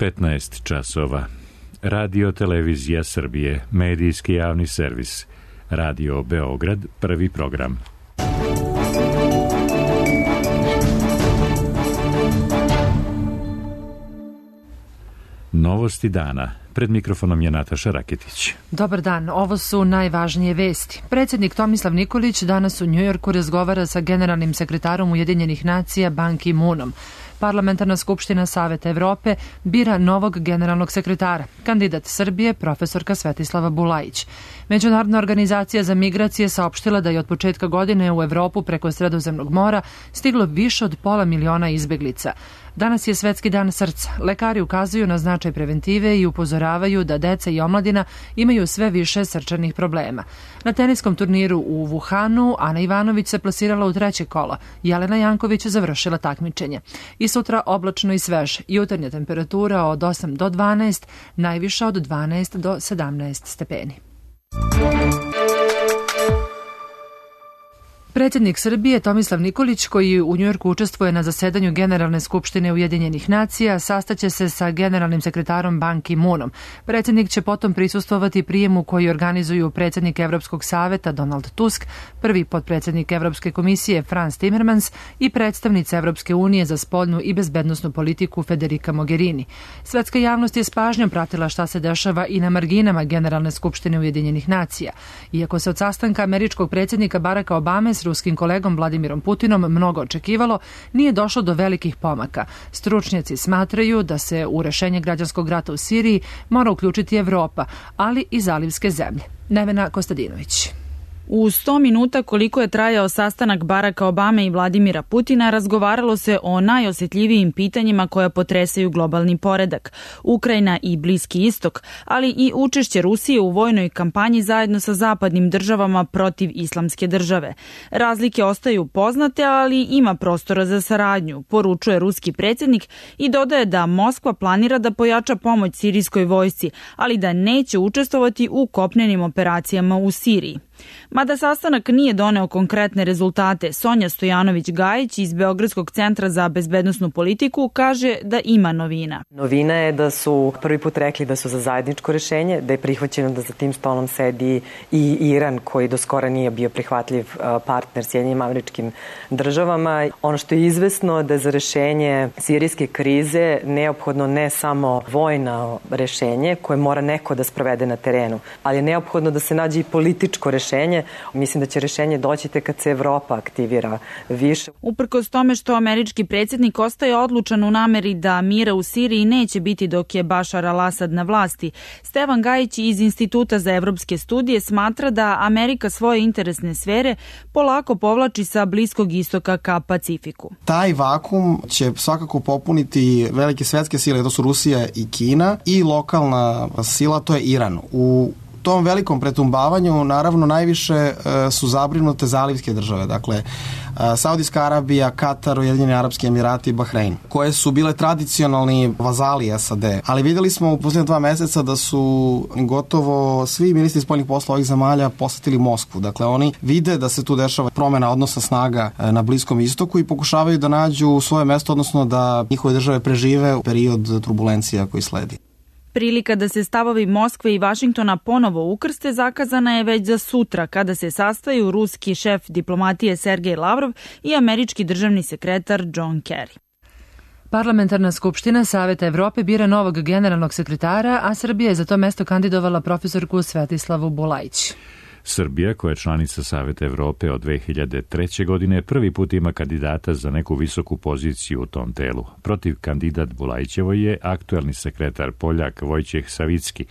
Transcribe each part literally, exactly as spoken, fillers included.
petnaest časova. Radio Televizija Srbije, medijski javni servis. Radio Beograd, prvi program. Novosti dana. Pred mikrofonom je Nataša Raketić. Dobar dan, ovo su najvažnije vesti. Predsjednik Tomislav Nikolić danas u Njujorku razgovara sa generalnim sekretarom Ujedinjenih nacija Ban Ki-moonom. Parlamentarna skupština Saveta Evrope bira novog generalnog sekretara, kandidat Srbije, profesorka Svetislava Bulajić. Međunarodna organizacija za migracije saopštila da je od početka godine u Evropu preko Sredozemnog mora stiglo više od pola miliona izbeglica. Danas je Svetski dan srca. Lekari ukazuju na značaj preventive i upozoravaju da deca i omladina imaju sve više srčanih problema. Na teniskom turniru u Wuhanu Ana Ivanović se plasirala u treće kolo. Jelena Janković završila takmičenje. I sutra oblačno i sveže. Jutarnja temperatura od osam do dvanaest, najviša od dvanaest do sedamnaest stepeni. Predsjednik Srbije Tomislav Nikolić, koji u Njujorku učestvuje na zasedanju Generalne skupštine Ujedinjenih nacija, sastaće se sa generalnim sekretarom Ban Ki-moonom. Predsjednik će potom prisustvovati prijemu koji organizuju predsjednik Evropskog saveta Donald Tusk, prvi potpredsjednik Evropske komisije Frans Timmermans i predstavnica Evropske unije za spoljnu i bezbednosnu politiku Federica Mogherini. Svetska javnost je s pažnjom pratila šta se dešava i na marginama Generalne skupštine Ujedinjenih nacija. Iako se od sastanka američkog predsjednika Baracka Obame s ruskim kolegom Vladimirom Putinom mnogo očekivalo, nije došlo do velikih pomaka. Stručnjaci smatraju da se u rešenje građanskog rata u Siriji mora uključiti Evropa, ali i zalivske zemlje. Nevena Kostadinović. U sto minuta koliko je trajao sastanak Baracka Obame i Vladimira Putina, razgovaralo se o najosjetljivijim pitanjima koja potresaju globalni poredak, Ukrajina i Bliski istok, ali i učešće Rusije u vojnoj kampanji zajedno sa zapadnim državama protiv islamske države. Razlike ostaju poznate, ali ima prostora za saradnju, poručuje ruski predsjednik i dodaje da Moskva planira da pojača pomoć sirijskoj vojsci, ali da neće učestvovati u kopnenim operacijama u Siriji. Mada sastanak nije doneo konkretne rezultate, Sonja Stojanović-Gajić iz Beogradskog centra za bezbednosnu politiku kaže da ima novina. Novina je da su prvi put rekli da su za zajedničko rešenje, da je prihvaćeno da za tim stolom sedi i Iran, koji do skora nije bio prihvatljiv partner Sjedinjenim Američkim Državama. Ono što je izvesno da je za rešenje sirijske krize neophodno ne samo vojno rešenje koje mora neko da sprovede na terenu, ali je neophodno da se nađe i političko rešenje. Mislim da će rešenje doći tek kad se Evropa aktivira više. Uprkos tome što američki predsjednik ostaje odlučan u nameri da mira u Siriji neće biti dok je Bašar al-Asad na vlasti, Stevan Gajić iz Instituta za evropske studije smatra da Amerika svoje interesne sfere polako povlači sa Bliskog istoka ka Pacifiku. Taj vakum će svakako popuniti velike svetske sile, to su Rusija i Kina, i lokalna sila, to je Iran. U tom velikom pretumbavanju naravno najviše e, su zabrinute zalivske države, dakle e, Saudijska Arabija, Katar, Ujedinjeni Arapski Emirati i Bahrein, koje su bile tradicionalni vazali S A D. Ali videli smo u posljednje dva meseca da su gotovo svi ministri spoljnih poslova ovih zemalja posetili Moskvu. Dakle, oni vide da se tu dešava promena odnosa snaga e, na Bliskom istoku i pokušavaju da nađu svoje mesto, odnosno da njihove države prežive u period turbulencija koji sledi. Prilika da se stavovi Moskve i Vašingtona ponovo ukrste zakazana je već za sutra, kada se sastaju ruski šef diplomatije Sergej Lavrov i američki državni sekretar John Kerry. Parlamentarna skupština Saveta Evrope bira novog generalnog sekretara, a Srbija je za to mesto kandidovala profesorku Svetislavu Bulajić. Srbija, koja je članica Saveta Evrope od dve hiljade treće. godine, prvi put ima kandidata za neku visoku poziciju u tom telu. Protiv kandidat Bulajićevo je aktuelni sekretar Poljak Vojčeh Savicki,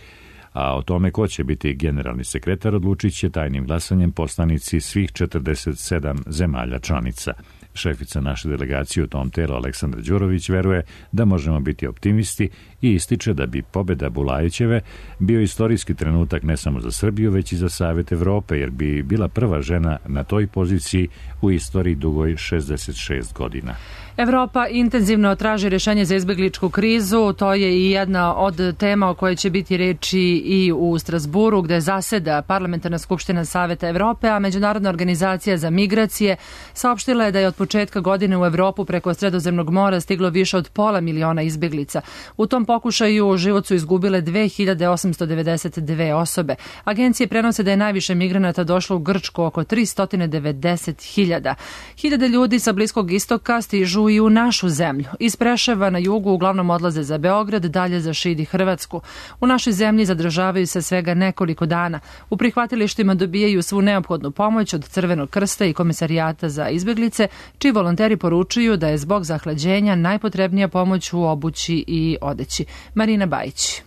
a o tome ko će biti generalni sekretar odlučit će tajnim glasanjem poslanici svih četrdeset sedam zemalja članica. Šefica naše delegacije u tom telu Aleksandra Đurović veruje da možemo biti optimisti i ističe da bi pobjeda Bulajićeve bio istorijski trenutak ne samo za Srbiju, već i za Savet Evrope, jer bi bila prva žena na toj poziciji u istoriji dugoj šezdeset šest godina. Evropa intenzivno traži rješenje za izbjegličku krizu. To je i jedna od tema o kojoj će biti reči i u Strasburu, gde zaseda Parlamentarna skupština Saveta Evrope, a Međunarodna organizacija za migracije saopštila je da je od početka godine u Evropu preko Sredozemnog mora stiglo više od pola miliona izbeglica. U tom pokušaju život su izgubile dve hiljade osamsto devedeset dve osobe. Agencije prenose da je najviše migranata došlo u Grčku, oko tristo devedeset hiljada. Hiljade ljudi sa Bliskog istoka stižu i u našu zemlju. Iz Preševa na jugu uglavnom odlaze za Beograd, dalje za Šid i Hrvatsku. U našoj zemlji zadržavaju se svega nekoliko dana. U prihvatilištima dobijaju svu neophodnu pomoć od Crvenog krsta i Komisarijata za izbeglice, čiji volonteri poručuju da je zbog zahlađenja najpotrebnija pomoć u obući i odeći. Marina Bajić.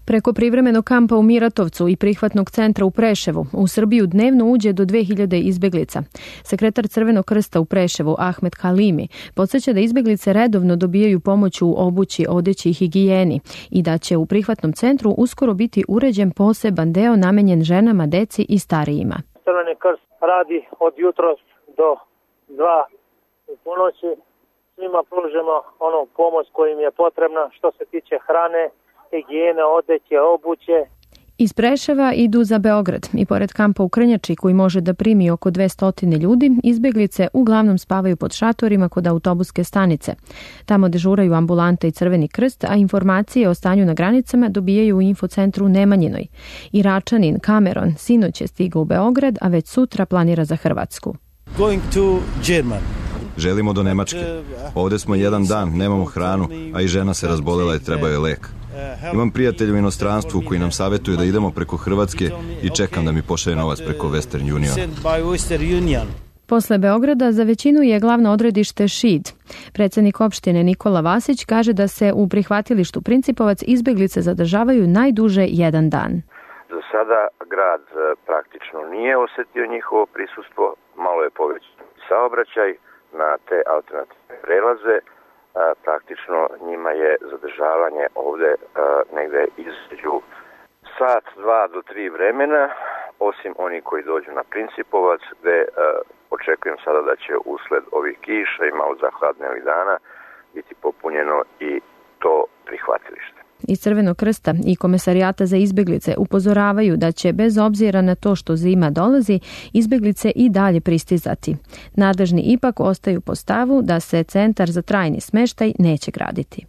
Preko privremenog kampa u Miratovcu i prihvatnog centra u Preševu u Srbiju dnevno uđe do dve hiljade izbeglica. Sekretar Crvenog krsta u Preševu, Ahmed Halimi, podsjeća da izbeglice redovno dobijaju pomoć u obući, odeći i higijeni i da će u prihvatnom centru uskoro biti uređen poseban deo namenjen ženama, deci i starijima. Crveni krst radi od jutros do dva u ponoći. Svima pružimo onu pomoć koja im je potrebna što se tiče hrane, higijene, odeće, obuće. Iz Preševa idu za Beograd i pored kampa u Krnjači koji može da primi oko dvesta ljudi, izbeglice uglavnom spavaju pod šatorima kod autobuske stanice. Tamo dežuraju ambulanta i Crveni krst, a informacije o stanju na granicama dobijaju u infocentru u Nemanjinoj. Iračanin Cameron sinoć je stigao u Beograd, a već sutra planira za Hrvatsku. Going to German. Želimo do Nemačke. Ovde smo jedan dan, nemamo hranu, a i žena se razbolela i treba joj lek. Imam prijatelje u inostranstvu koji nam savjetuju da idemo preko Hrvatske i čekam da mi pošalje novac preko Western Union. Posle Beograda za većinu je glavno odredište Šid. Predsjednik opštine Nikola Vasić kaže da se u prihvatilištu Principovac izbeglice zadržavaju najduže jedan dan. Za sada grad praktično nije osetio njihovo prisustvo, malo je povećan saobraćaj na te alternativne prelaze. Praktično njima je zadržavanje ovde negde između sat, dva do tri vremena, osim oni koji dođu na Principovac, gde očekujem sada da će usled ovih kiša i malo zahladnijih dana biti popunjeno i to prihvatilište. Iz Crvenog krsta i Komisarijata za izbeglice upozoravaju da će bez obzira na to što zima dolazi, izbeglice i dalje pristizati. Nadležni ipak ostaju po stavu da se centar za trajni smeštaj neće graditi.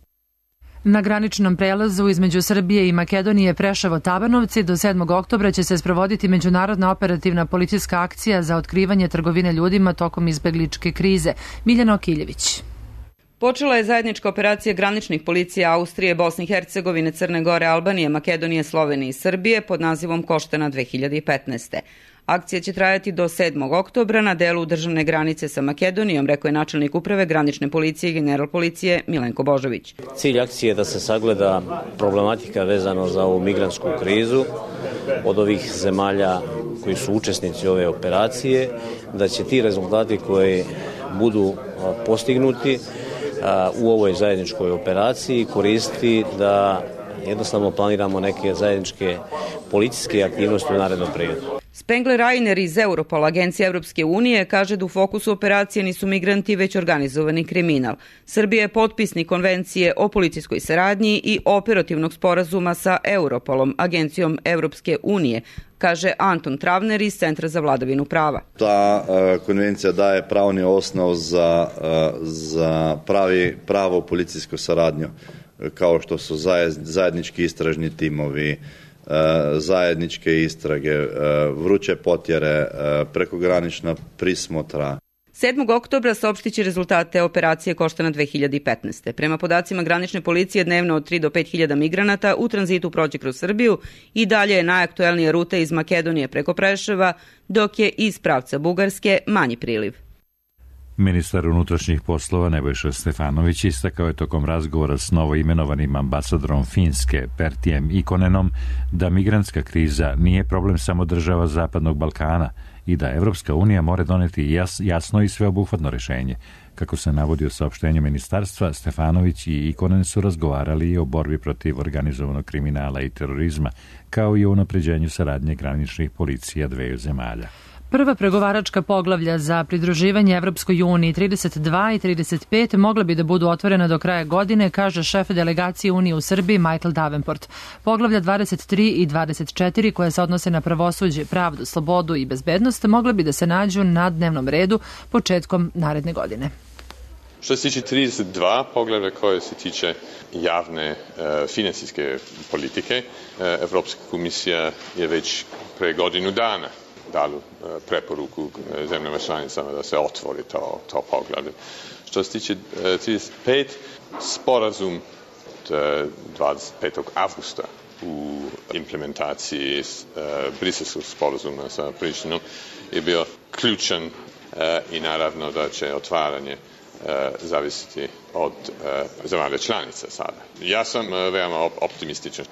Na graničnom prelazu između Srbije i Makedonije Preševo-Tabanovci do sedmog oktobra će se sprovoditi međunarodna operativna policijska akcija za otkrivanje trgovine ljudima tokom izbegličke krize. Miljana Okiljević. Počela je zajednička operacija graničnih policija Austrije, Bosne i Hercegovine, Crne Gore, Albanije, Makedonije, Slovenije i Srbije pod nazivom Koštana dve hiljade petnaeste. Akcija će trajati do sedmog oktobra na delu državne granice sa Makedonijom, rekao je načelnik uprave granične policije i general policije Milenko Božović. Cilj akcije je da se sagleda problematika vezano za ovu migrantsku krizu od ovih zemalja koji su učesnici ove operacije, da će ti rezultati koji budu postignuti u ovoj zajedničkoj operaciji koristiti da jednostavno planiramo neke zajedničke policijske aktivnosti u narednom periodu. Spengler Rainer iz Europola, agencije Evropske unije, kaže da u fokusu operacije nisu migranti, već organizovani kriminal. Srbija je potpisnik konvencije o policijskoj saradnji i operativnog sporazuma sa Europolom, agencijom Evropske unije, kaže Anton Travner iz Centra za vladavinu prava. Ta uh, konvencija daje pravni osnov za, uh, za pravi, pravo policijsku saradnju, kao što su zajednički istražni timovi, zajedničke istrage, vruće potjere, prekogranična prismotra. sedmog oktobra saopštiće rezultate operacije Koštana dve hiljade petnaeste. Prema podacima granične policije dnevno od tri do pet hiljada migranata u tranzitu prođe kroz Srbiju i dalje je najaktuelnija ruta iz Makedonije preko Preševa, dok je iz pravca Bugarske manji priliv. Ministar unutrašnjih poslova Nebojša Stefanović istakao je tokom razgovora s novoimenovanim ambasadorom Finske Pertijem Ikonenom da migrantska kriza nije problem samo država Zapadnog Balkana i da Evropska unija mora doneti jas, jasno i sveobuhvatno rešenje. Kako se navodi u saopštenju ministarstva, Stefanović i Ikonen su razgovarali i o borbi protiv organizovanog kriminala i terorizma, kao i o unapređenju saradnje graničnih policija dveju zemalja. Prva pregovaračka poglavlja za pridruživanje Evropskoj uniji trideset dva i trideset pet mogla bi da budu otvorena do kraja godine, kaže šef delegacije Unije u Srbiji Michael Davenport. Poglavlja dvadeset tri i dvadeset četiri, koje se odnose na pravosuđe, pravdu, slobodu i bezbednost, mogla bi da se nađu na dnevnom redu početkom naredne godine. Što se tiče trideset dva poglavlja koje se tiče javne e, financijske politike, e, Evropska komisija je već pre godinu dana dala e, preporuku e, zemljama članicama da se otvori to, to poglavlje. Što se tiče e, trideset pet, sporazum od e, dvadeset petog avgusta u implementaciji e, briselskog sporazuma sa Prištinom je bio ključan e, i naravno da će otvaranje zavisiti od zemalja članica sada. Ja sam veoma optimističan.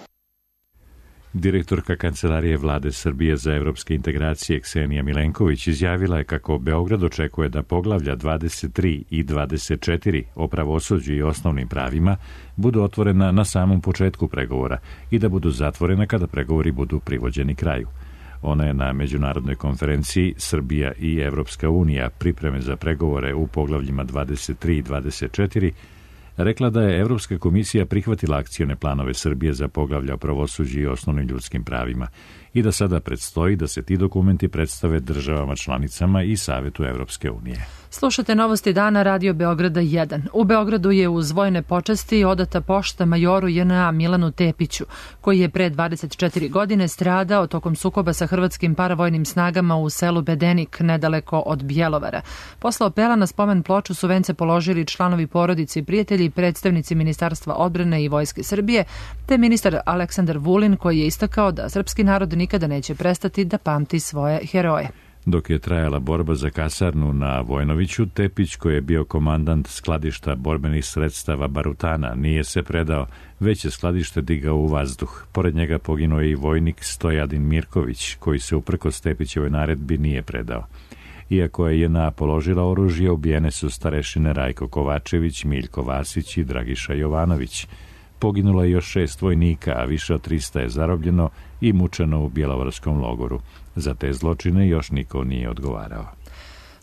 Direktorka Kancelarije Vlade Srbije za evropske integracije Ksenija Milenković izjavila je kako Beograd očekuje da poglavlja dvadeset tri i dvadeset četiri o pravosuđu i osnovnim pravima budu otvorena na samom početku pregovora i da budu zatvorena kada pregovori budu privođeni kraju. Ona je na međunarodnoj konferenciji Srbija i Evropska unija pripreme za pregovore u poglavljima dvadeset tri i dvadeset četiri rekla da je Evropska komisija prihvatila akcione planove Srbije za poglavlja o pravosuđu i osnovnim ljudskim pravima i da sada predstoji da se ti dokumenti predstave državama članicama i Savetu Evropske unije. Slušate novosti dana Radio Beograda jedan. U Beogradu je uz vojne počasti odata pošta majoru J N A Milanu Tepiću, koji je pre dvadeset četiri godine stradao tokom sukoba sa hrvatskim paravojnim snagama u selu Bedenik, nedaleko od Bjelovara. Posle apela na spomen ploču su vence položili članovi porodice i prijatelji, predstavnici Ministarstva odbrane i Vojske Srbije, te ministar Aleksandar Vulin, koji je istakao da srpski narod nikada neće prestati da pamti svoje heroje. Dok je trajala borba za kasarnu na Vojnoviću, Tepić, koji je bio komandant skladišta borbenih sredstava Barutana, nije se predao, već je skladište digao u vazduh. Pored njega poginuo je i vojnik Stojadin Mirković, koji se uprkos Tepićevoj naredbi nije predao. Iako je J N A položila oružje, ubijene su starešine Rajko Kovačević, Miljko Vasić i Dragiša Jovanović. Poginulo je još šest vojnika, a više od trista je zarobljeno i mučeno u Bjelovarskom logoru. Za te zločine još niko nije odgovarao.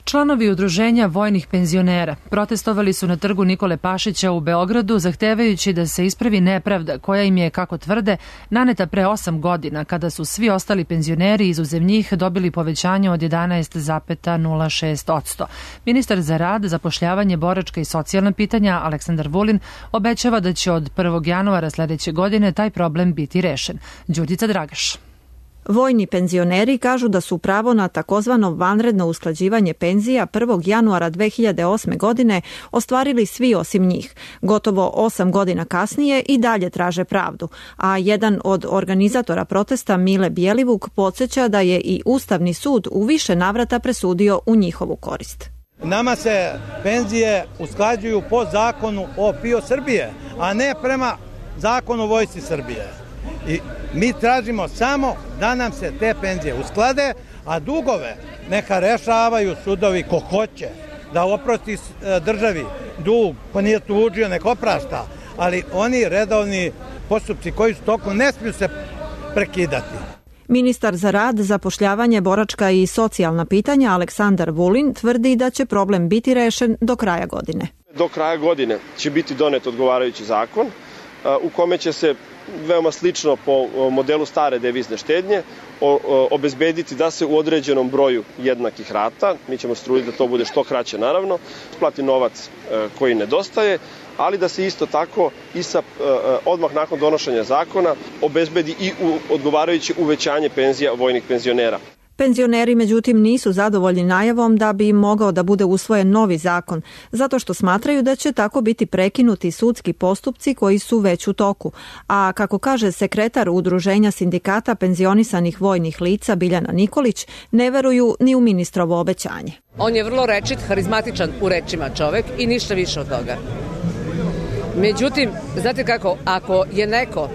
Članovi udruženja vojnih penzionera protestovali su na trgu Nikole Pašića u Beogradu, zahtevajući da se ispravi nepravda koja im je, kako tvrde, naneta pre osam godina, kada su svi ostali penzioneri izuzev njih dobili povećanje od jedanaest zarez nula šest posto. Ministar za rad, zapošljavanje, boračka i socijalna pitanja Aleksandar Vulin obećava da će od prvog januara sledeće godine taj problem biti rešen. Đurđica Dragaš. Vojni penzioneri kažu da su pravo na takozvano vanredno usklađivanje penzija prvog januara dve hiljade osme. godine ostvarili svi osim njih. Gotovo osam godina kasnije i dalje traže pravdu, a jedan od organizatora protesta Mile Bjelivuk podsjeća da je i Ustavni sud u više navrata presudio u njihovu korist. Nama se penzije usklađuju po zakonu o P I O Srbije, a ne prema zakonu o Vojsci Srbije. I mi tražimo samo da nam se te penzije usklade, a dugove neka rešavaju sudovi ko hoće, da oprosti državi dug, ko nije tužio, neka oprašta, ali oni redovni postupci koji su tokom ne smiju se prekidati. Ministar za rad, zapošljavanje, boračka i socijalna pitanja Aleksandar Vulin tvrdi da će problem biti rešen do kraja godine. Do kraja godine će biti donet odgovarajući zakon u kome će se veoma slično po modelu stare devizne štednje obezbediti da se u određenom broju jednakih rata, mi ćemo se truditi da to bude što kraće naravno, plati novac koji nedostaje, ali da se isto tako i sa odmah nakon donošenja zakona obezbedi i odgovarajuće uvećanje penzija vojnih penzionera. Penzioneri, međutim, nisu zadovoljni najavom da bi im mogao da bude usvojen novi zakon, zato što smatraju da će tako biti prekinuti sudski postupci koji su već u toku. A kako kaže sekretar Udruženja sindikata penzionisanih vojnih lica Biljana Nikolić, ne veruju ni u ministrovo obećanje. On je vrlo rečit, harizmatičan u rečima čovek i ništa više od toga. Međutim, znate kako, ako je neko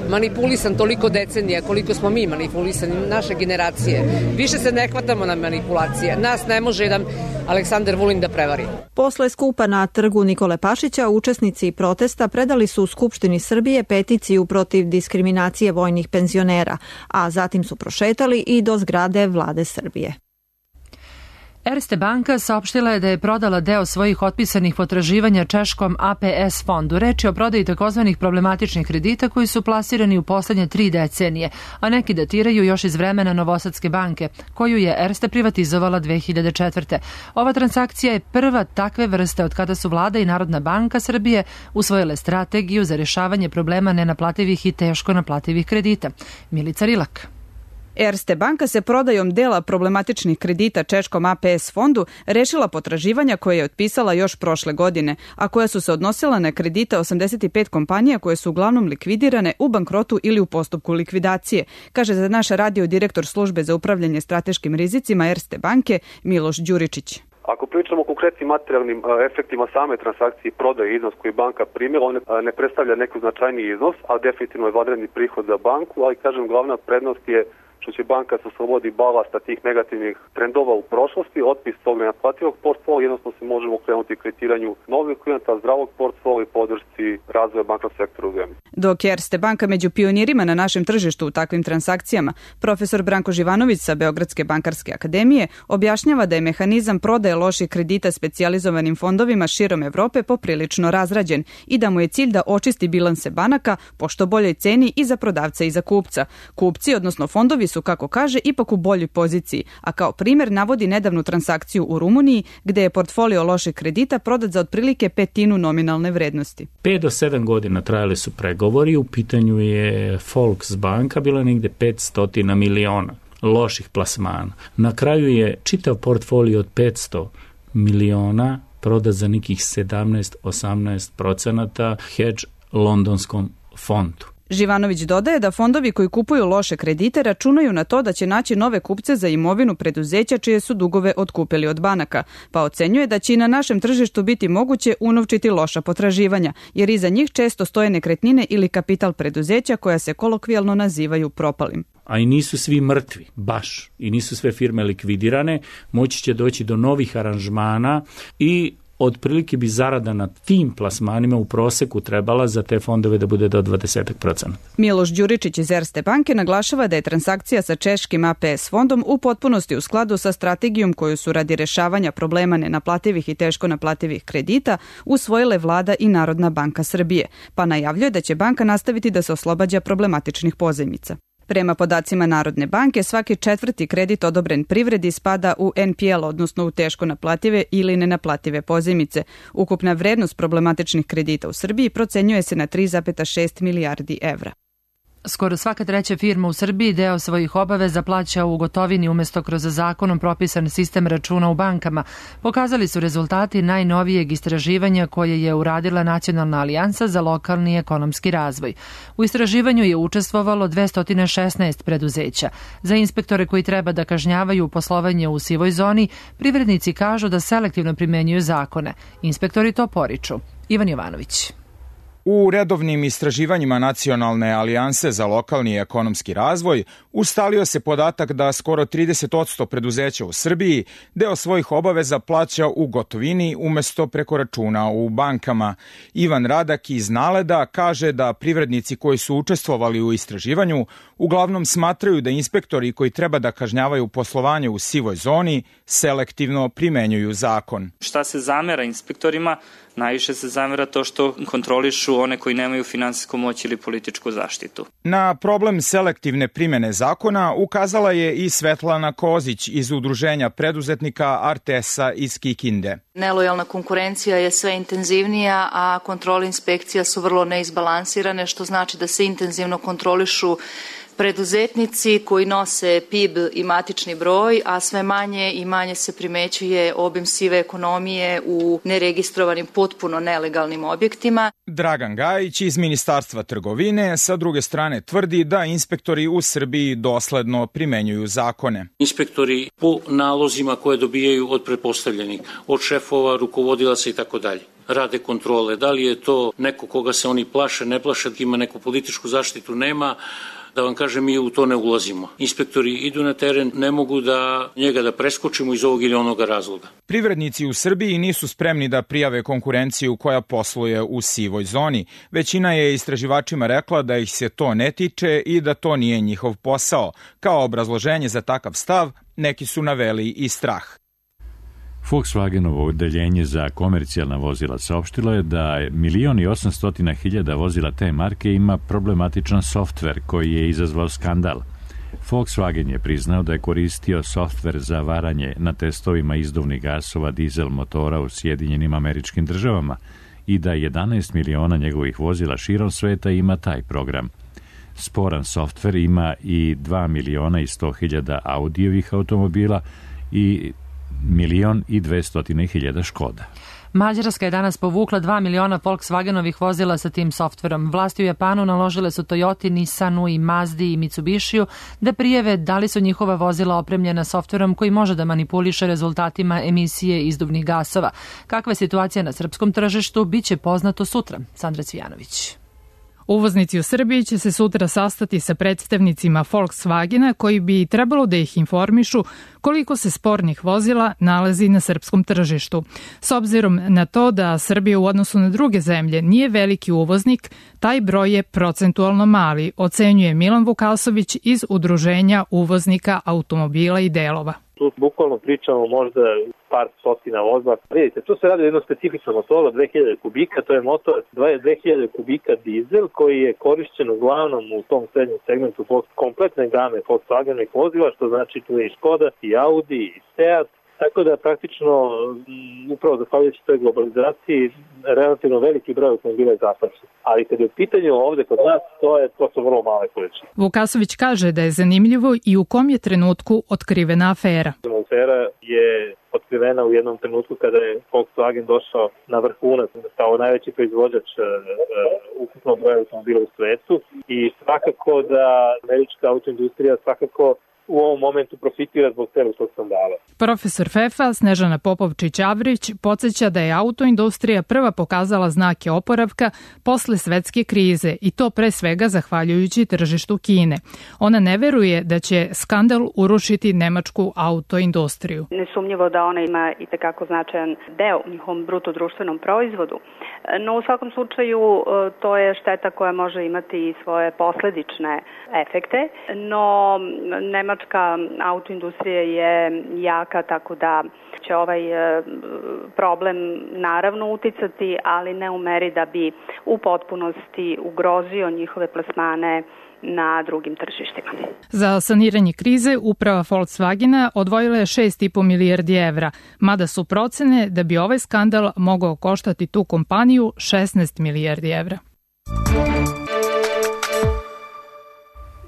manipulisan toliko decenija koliko smo mi manipulisani, naše generacije, više se ne hvatamo na manipulacije. Nas ne može jedan Aleksandar Vulin da prevari. Posle skupa na trgu Nikole Pašića, učesnici protesta predali su u Skupštini Srbije peticiju protiv diskriminacije vojnih penzionera, a zatim su prošetali i do zgrade Vlade Srbije. Erste banka saopštila je da je prodala deo svojih otpisanih potraživanja češkom A P S fondu. Reč je o prodaji takozvanih problematičnih kredita koji su plasirani u poslednje tri decenije, a neki datiraju još iz vremena Novosadske banke, koju je Erste privatizovala dve hiljade četvrte. Ova transakcija je prva takve vrste od kada su vlada i Narodna banka Srbije usvojile strategiju za rešavanje problema nenaplativih i teško naplativih kredita. Milica Rilak. Erste banka se prodajom dela problematičnih kredita češkom A P S fondu rešila potraživanja koje je otpisala još prošle godine, a koja su se odnosila na kredite osamdeset pet kompanija koje su uglavnom likvidirane, u bankrotu ili u postupku likvidacije, kaže za naš radio direktor službe za upravljanje strateškim rizicima Erste banke Miloš Đuričić. Ako pričamo o konkretnim materijalnim efektima same transakcije i prodaje iznos koji banka primila, on ne predstavlja neki značajni iznos, a definitivno je vanredni prihod za banku, ali kažem glavna prednost je što će banka se oslobodi balasta tih negativnih trendova u prošlosti, otpis tog nenaplativog portfolija, jednostavno se možemo krenuti kreditiranju novih klijenta, zdravog portfolija i podršci razvoja bankovnog sektora u zemlji. Dok je Erste banka među pionirima na našem tržištu u takvim transakcijama, profesor Branko Živanović sa Beogradske bankarske akademije objašnjava da je mehanizam prodaje loših kredita specijalizovanim fondovima širom Evrope poprilično razrađen i da mu je cilj da očisti bilanse banaka po što boljoj ceni i za prodavca i za kupca. Kupci, odnosno fondovi, su, kako kaže, ipak u boljoj poziciji, a kao primjer navodi nedavnu transakciju u Rumuniji gde je portfolio loših kredita prodat za otprilike petinu nominalne vrednosti. Pet do sedam godina trajali su pregovori, u pitanju je Volksbanka, bila negde petsto miliona loših plasmana. Na kraju je čitav portfolio od petsto miliona prodat za nekih sedamnaest do osamnaest procenata hedge londonskom fondu. Živanović dodaje da fondovi koji kupuju loše kredite računaju na to da će naći nove kupce za imovinu preduzeća čije su dugove otkupili od banaka, pa ocenjuje da će i na našem tržištu biti moguće unovčiti loša potraživanja, jer iza njih često stoje nekretnine ili kapital preduzeća koja se kolokvijalno nazivaju propalim. A i nisu svi mrtvi, baš, i nisu sve firme likvidirane, moći će doći do novih aranžmana i otprilike bi zarada na tim plasmanima u proseku trebala za te fondove da bude do dvadeset procenata. Miloš Đuričić iz Erste banke naglašava da je transakcija sa češkim A P S fondom u potpunosti u skladu sa strategijom koju su radi rešavanja problema nenaplativih i teško naplativih kredita usvojile vlada i Narodna banka Srbije, pa najavljuje da će banka nastaviti da se oslobađa problematičnih pozajmica. Prema podacima Narodne banke, svaki četvrti kredit odobren privredi spada u N P L, odnosno u teško naplative ili nenaplative pozajmice. Ukupna vrednost problematičnih kredita u Srbiji procenjuje se na tri zarez šest milijardi evra. Skoro svaka treća firma u Srbiji deo svojih obaveza plaća u gotovini umesto kroz zakonom propisan sistem računa u bankama. Pokazali su rezultati najnovijeg istraživanja koje je uradila Nacionalna alijansa za lokalni ekonomski razvoj. U istraživanju je učestvovalo dvesta šesnaest preduzeća. Za inspektore koji treba da kažnjavaju poslovanje u sivoj zoni, privrednici kažu da selektivno primenjuju zakone. Inspektori to poriču. Ivan Jovanović. U redovnim istraživanjima Nacionalne alijanse za lokalni i ekonomski razvoj ustalio se podatak da skoro trideset posto preduzeća u Srbiji deo svojih obaveza plaća u gotovini umesto preko računa u bankama. Ivan Radak iz Naleda kaže da privrednici koji su učestvovali u istraživanju uglavnom smatraju da inspektori koji treba da kažnjavaju poslovanje u sivoj zoni selektivno primenjuju zakon. Šta se zamera inspektorima? Najviše se zamera to što kontrolišu one koji nemaju finansijsku moć ili političku zaštitu. Na problem selektivne primene zakona ukazala je i Svetlana Kozić iz Udruženja preduzetnika Artesa iz Kikinde. Nelojalna konkurencija je sve intenzivnija, a kontrole inspekcija su vrlo neizbalansirane, što znači da se intenzivno kontrolišu preduzetnici koji nose P I B i matični broj, a sve manje i manje se primećuje obim sive ekonomije u neregistrovanim, potpuno nelegalnim objektima. Dragan Gajić iz Ministarstva trgovine sa druge strane tvrdi da inspektori u Srbiji dosledno primenjuju zakone. Inspektori po nalozima koje dobijaju od pretpostavljenih, od šefova, rukovodilaca i tako dalje, rade kontrole. Da li je to neko koga se oni plaše, ne plaše, ima neku političku zaštitu, nema. Da vam kažem, mi u to ne ulazimo. Inspektori idu na teren, ne mogu da njega da preskočimo iz ovog ili onoga razloga. Privrednici u Srbiji nisu spremni da prijave konkurenciju koja posluje u sivoj zoni. Većina je istraživačima rekla da ih se to ne tiče i da to nije njihov posao. Kao obrazloženje za takav stav, neki su naveli i strah. Volkswagenovo odeljenje za komercijalna vozila saopštilo je da milion i osamstotina hiljada vozila te marke ima problematičan softver koji je izazvao skandal. Volkswagen je priznao da je koristio softver za varanje na testovima izduvnih gasova dizel motora u Sjedinjenim Američkim Državama i da jedanaest miliona njegovih vozila širom sveta ima taj program. Sporan softver ima i dva miliona i sto hiljada Audijevih automobila i milion i dvestotine hiljada Škoda. Mađarska je danas povukla dva miliona Volkswagenovih vozila sa tim softverom. Vlasti u Japanu naložile su Toyoti, Nissanu i Mazdi i Mitsubishiju da prijave da li su njihova vozila opremljena softverom koji može da manipuliše rezultatima emisije izduvnih gasova. Kakva je situacija na srpskom tržištu, bit će poznato sutra. Sandra Cvijanović. Uvoznici u Srbiji će se sutra sastati sa predstavnicima Volkswagena koji bi trebalo da ih informišu koliko se spornih vozila nalazi na srpskom tržištu. S obzirom na to da Srbija u odnosu na druge zemlje nije veliki uvoznik, taj broj je procentualno mali, ocenjuje Milan Vukasović iz Udruženja uvoznika automobila i delova. Tu bukvalno pričamo možda par stotina vozila. Vidite, tu se radi o jednom specifičnom motoru, dve hiljade kubika, to je motor dve hiljade kubika dizel koji je korišćen uglavnom u tom srednjem segmentu kompletne game Volkswagenovih vozila, što znači tu je i Škoda, i Audi, i Seat. Tako da praktično, upravo zahvaljujući toj globalizaciji, relativno veliki broj automobila je zahvaćen. Ali kad je u pitanju ovde kod nas, to, je, to su vrlo male količine. Vukasović kaže da je zanimljivo i u kom je trenutku otkrivena afera. Afera je otkrivena u jednom trenutku kada je Volkswagen došao na vrhunac kao najveći proizvođač uh, uh, ukupnog broja automobila u svetu i svakako da američka autoindustrija svakako u ovom momentu profitira zbog celog tog skandala. Profesor Fefa Snežana Popovčić-Avrić podsjeća da je autoindustrija prva pokazala znake oporavka posle svetske krize i to pre svega zahvaljujući tržištu Kine. Ona ne veruje da će skandal urušiti nemačku autoindustriju. Nesumnjivo da ona ima i tekako značajan deo u njihovom bruto društvenom proizvodu, no u svakom slučaju to je šteta koja može imati i svoje posledične efekte, no Nemačka autoindustrija je jaka, tako da će ovaj problem naravno uticati, ali ne u meri da bi u potpunosti ugrozio njihove plasmane na drugim tržištima. Za saniranje krize uprava Volkswagena odvojila je šest i po milijardi evra, mada su procene da bi ovaj skandal mogao koštati tu kompaniju šesnaest milijardi evra.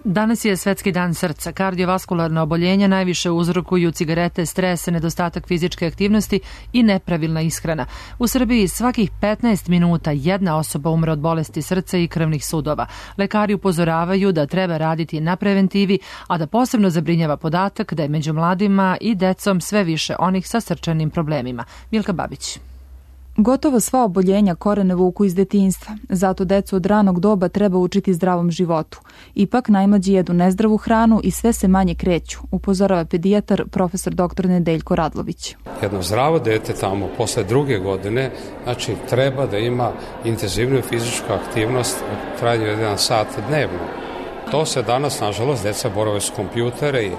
Danas je Svetski dan srca. Kardiovaskularna oboljenja najviše uzrokuju cigarete, stres, nedostatak fizičke aktivnosti i nepravilna ishrana. U Srbiji svakih petnaest minuta jedna osoba umre od bolesti srca i krvnih sudova. Lekari upozoravaju da treba raditi na preventivi, a da posebno zabrinjava podatak da je među mladima i decom sve više onih sa srčanim problemima. Milka Babić. Gotovo sva oboljenja korene vuku iz detinjstva, zato decu od ranog doba treba učiti zdravom životu. Ipak najmlađi jedu nezdravu hranu i sve se manje kreću, upozorava pedijatar profesor doktor Nedeljko Radlović. Jedno zdravo dete tamo posle druge godine, znači treba da ima intenzivnu fizičku aktivnost u trajanju jedan sat dnevno. To se danas, nažalost, deca borave s kompjutere i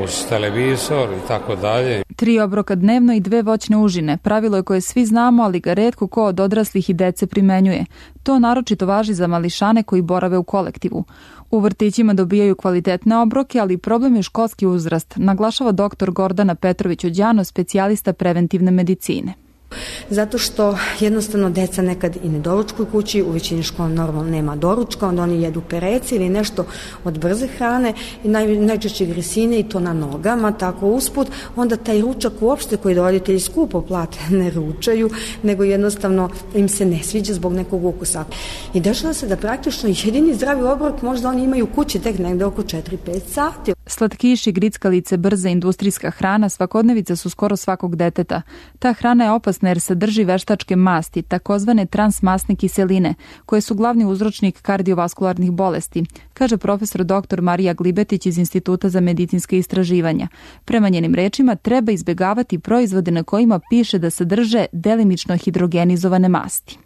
uz televizor i tako dalje. Tri obroka dnevno i dve voćne užine. Pravilo je koje svi znamo, ali ga retko ko od odraslih i dece primenjuje. To naročito važi za mališane koji borave u kolektivu. U vrtićima dobijaju kvalitetne obroke, ali problem je školski uzrast, naglašava doktor Gordana Petrović-Ođano, specijalista preventivne medicine. Zato što jednostavno deca nekad i ne doručkuju kući, u većini škola normalno nema doručka, onda oni jedu perece ili nešto od brze hrane i naj, najčešće grisine i to na nogama, tako usput, onda taj ručak uopšte koji roditelji skupo plate ne ručaju, nego jednostavno im se ne sviđa zbog nekog ukusa. I dešava se da praktično jedini zdravi obrok možda oni imaju kući tek negde oko četiri pet sati. Slatkiši, grickalice, brza industrijska hrana svakodnevica su skoro svakog deteta. Ta hrana je opasna jer sadrži veštačke masti, takozvane transmasne kiseline, koje su glavni uzročnik kardiovaskularnih bolesti, kaže profesor doktor Marija Glibetić iz Instituta za medicinske istraživanja. Prema njenim rečima treba izbjegavati proizvode na kojima piše da sadrže delimično hidrogenizovane masti.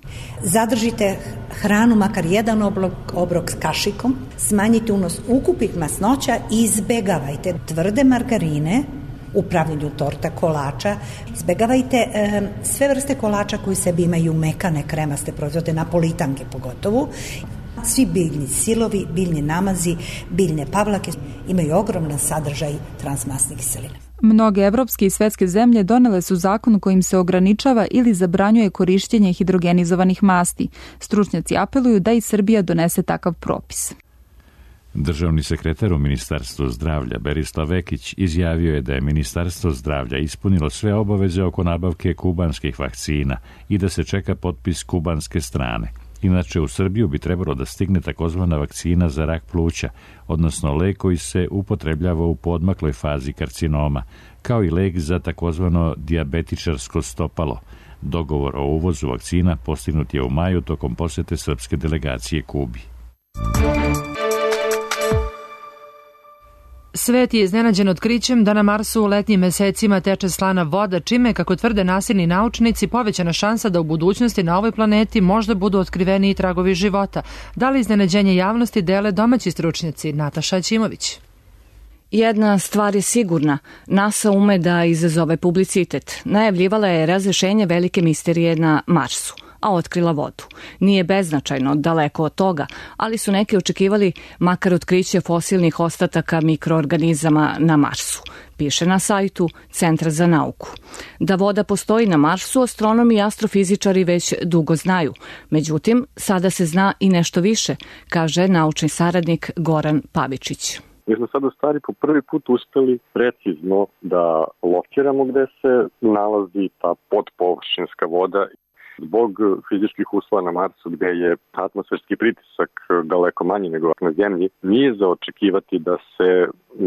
Zadržite hranu, makar jedan obrok, obrok s kašikom, smanjite unos ukupnih masnoća i izbjegavajte tvrde margarine, u pravljenju torta, kolača. Izbegavajte e, sve vrste kolača koji sebi imaju mekane kremaste proizvode, napolitanke pogotovo. Svi biljni silovi, biljni namazi, biljne pavlake imaju ogroman sadržaj transmasnih kiselina. Mnoge evropske i svetske zemlje donele su zakon kojim se ograničava ili zabranjuje korišćenje hidrogenizovanih masti. Stručnjaci apeluju da i Srbija donese takav propis. Državni sekretar u Ministarstvu zdravlja Berislav Vekić izjavio je da je Ministarstvo zdravlja ispunilo sve obaveze oko nabavke kubanskih vakcina i da se čeka potpis kubanske strane. Inače, u Srbiju bi trebalo da stigne takozvana vakcina za rak pluća, odnosno lek koji se upotrebljava u podmakloj fazi karcinoma, kao i lek za takozvano dijabetičarsko stopalo. Dogovor o uvozu vakcina postignut je u maju tokom posete srpske delegacije Kubi. Svet je iznenađen otkrićem da na Marsu u letnjim mesecima teče slana voda, čime, kako tvrde nasilni naučnici, povećana šansa da u budućnosti na ovoj planeti možda budu otkriveni i tragovi života. Da li iznenađenje javnosti dele domaći stručnjaci? Nataša Ćimović. Jedna stvar je sigurna. NASA ume da izazove publicitet. Najavljivala je razrešenje velike misterije na Marsu, a otkrila vodu. Nije beznačajno, daleko od toga, ali su neki očekivali makar otkriće fosilnih ostataka mikroorganizama na Marsu, piše na sajtu Centra za nauku. Da voda postoji na Marsu, astronomi i astrofizičari već dugo znaju. Međutim, sada se zna i nešto više, kaže naučni saradnik Goran Pavičić. Mi smo sad u stvari po prvi put uspeli precizno da lokiramo gde se nalazi ta podpovršinska voda. Zbog fizičkih uslova na Marsu, gde je atmosferski pritisak daleko manji nego na Zemlji, nije za očekivati da se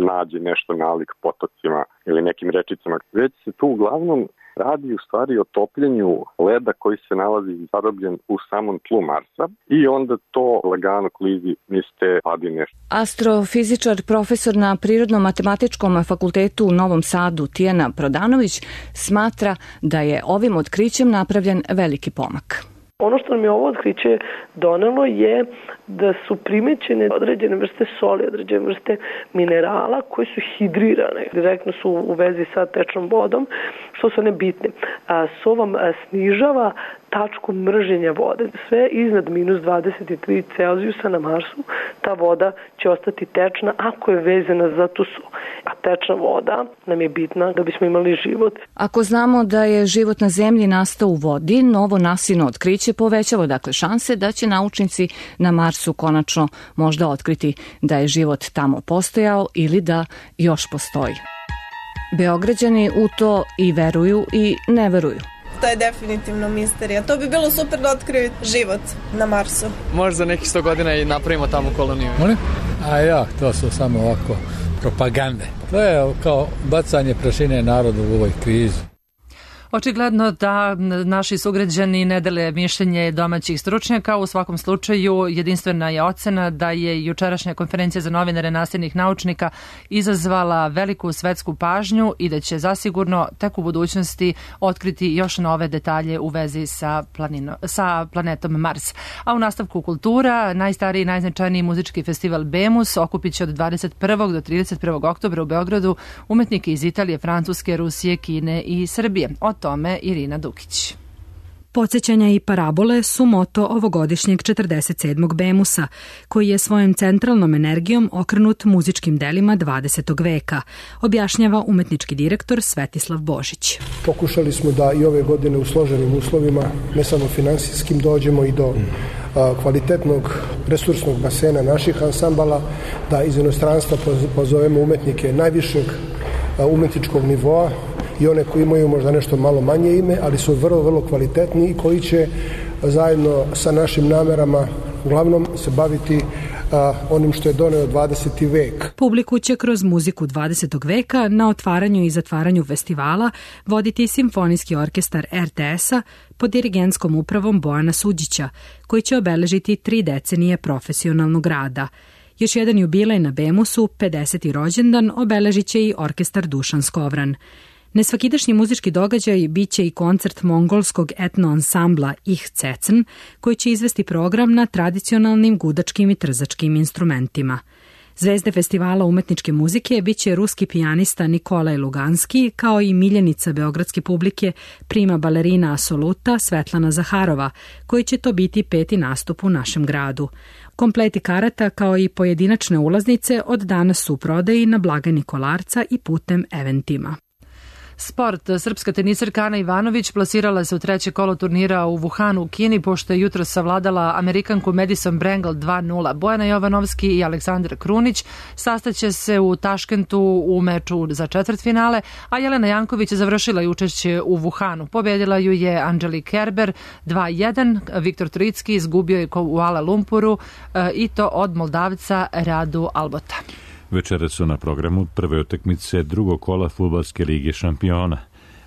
nađe nešto nalik potocima ili nekim rečicama. Već se tu uglavnom radi u stvari o topljenju leda koji se nalazi zarobljen u samom tlu Marsa i onda to lagano klizi niz te padine. Astrofizičar, profesor na Prirodno-matematičkom fakultetu u Novom Sadu Tijana Prodanović smatra da je ovim otkrićem napravljen veliki pomak. Ono što nam je ovo otkriće donelo je da su primećene određene vrste soli, određene vrste minerala koje su hidrirane, direktno su u vezi sa tečnom vodom, što su one bitne. So vam snižava tačku mrženja vode. Sve iznad minus dvadeset tri Celzijusa na Marsu ta voda će ostati tečna ako je vezana za tu so. A tečna voda nam je bitna da bismo imali život. Ako znamo da je život na Zemlji nastao u vodi, novo nasino otkriće povećava dakle šanse da će naučnici na Marsu konačno možda otkriti da je život tamo postojao ili da još postoji. Beograđani u to i veruju i ne veruju. To je definitivno misterija. To bi bilo super da otkriju život na Marsu. Možda za nekih sto godina i napravimo tamo koloniju. Molim? A ja, to su samo ovako propagande. To je kao bacanje prašine narodu u ovoj krizi. Očigledno da naši sugrađani ne dele mišljenje domaćih stručnjaka. U svakom slučaju jedinstvena je ocena da je jučerašnja konferencija za novinare nastavnih naučnika izazvala veliku svetsku pažnju i da će zasigurno tek u budućnosti otkriti još nove detalje u vezi sa, planino, sa planetom Mars. A u nastavku kultura, najstariji i najznačajniji muzički festival Bemus okupit će od dvadeset prvog do trideset prvog oktobra u Beogradu umetnike iz Italije, Francuske, Rusije, Kine i Srbije. O tome Irina Dukić. Podsjećanja i parabole su moto ovogodišnjeg četrdeset sedmog Bemusa, koji je svojom centralnom energijom okrenut muzičkim delima dvadesetog veka, objašnjava umetnički direktor Svetislav Božić. Pokušali smo da i ove godine u složenim uslovima, ne samo finansijskim, dođemo i do a, kvalitetnog resursnog basena naših ansambala, da iz inostranstva pozovemo umetnike najvišeg a, umetničkog nivoa, i one koji imaju možda nešto malo manje ime, ali su vrlo, vrlo kvalitetni i koji će zajedno sa našim namerama uglavnom se baviti a, onim što je doneo dvadeseti vek. Publiku će kroz muziku dvadesetog veka na otvaranju i zatvaranju festivala voditi Simfonijski orkestar er te es-a pod dirigentskom upravom Bojana Suđića, koji će obeležiti tri decenije profesionalnog rada. Još jedan jubilej na Bemusu, pedeseti rođendan, obeležit će i orkestar Dušan Skovran. Nesvakidašnji muzički događaj biće i koncert mongolskog etno ansambla Ich Cecen, koji će izvesti program na tradicionalnim gudačkim i trzačkim instrumentima. Zvezde festivala umetničke muzike biće ruski pijanista Nikolaj Luganski, kao i miljenica beogradske publike prima balerina Asoluta Svetlana Zaharova, koji će to biti peti nastup u našem gradu. Kompleti karata kao i pojedinačne ulaznice od danas su u prodaji na blagajni Kolarca i putem Eventima. Sport. Srpska tenisarka Ana Ivanović plasirala se u treće kolo turnira u Wuhanu u Kini, pošto je jutro savladala Amerikanku Madison Brangle dva nula. Bojana Jovanovski i Aleksandra Krunić sastaće se u Taškentu u meču za četvrtfinale, a Jelena Janković je završila i učešće u Wuhanu. Pobedila ju je Angelique Kerber dva jedan, Viktor Trojicki izgubio je u Kuala Lumpuru i to od Moldavca Radu Albota. Večera su na programu prve utakmice drugog kola fudbalske lige šampiona.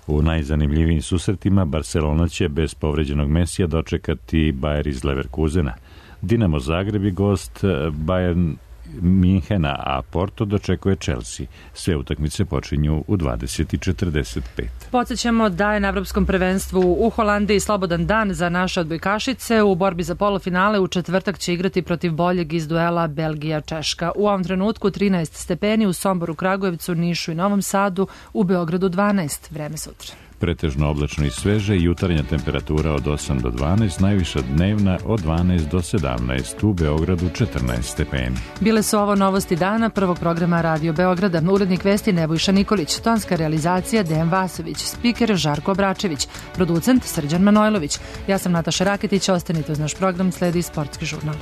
U najzanimljivijim susretima Barcelona će bez povređenog Mesija dočekati Bayer iz Leverkusena. Dinamo Zagreb je gost Bayern Minhena, a Porto dočekuje Chelsea. Sve utakmice počinju u dvadeset i četrdeset pet. Podsjećamo da je na Evropskom prvenstvu u Holandiji slobodan dan za naše odbojkašice. U borbi za polufinale u četvrtak će igrati protiv boljeg iz duela Belgija-Češka. U ovom trenutku trinaest stepeni u Somboru, Kragujevcu, Nišu i Novom Sadu, u Beogradu dvanaest. Vreme sutra. Pretežno oblačno i sveže, jutarnja temperatura od osam do dvanaest, najviša dnevna od dvanaest do sedamnaest, u Beogradu četrnaest stepeni. Bile su ovo novosti dana prvog programa Radio Beograda. Urednik vesti Nebojša Nikolić, tonska realizacija Dejan Vasović, spiker Žarko Obračević, producent Srđan Manojlović. Ja sam Nataša Raketić, ostanite uz naš program, sledi Sportski žurnal.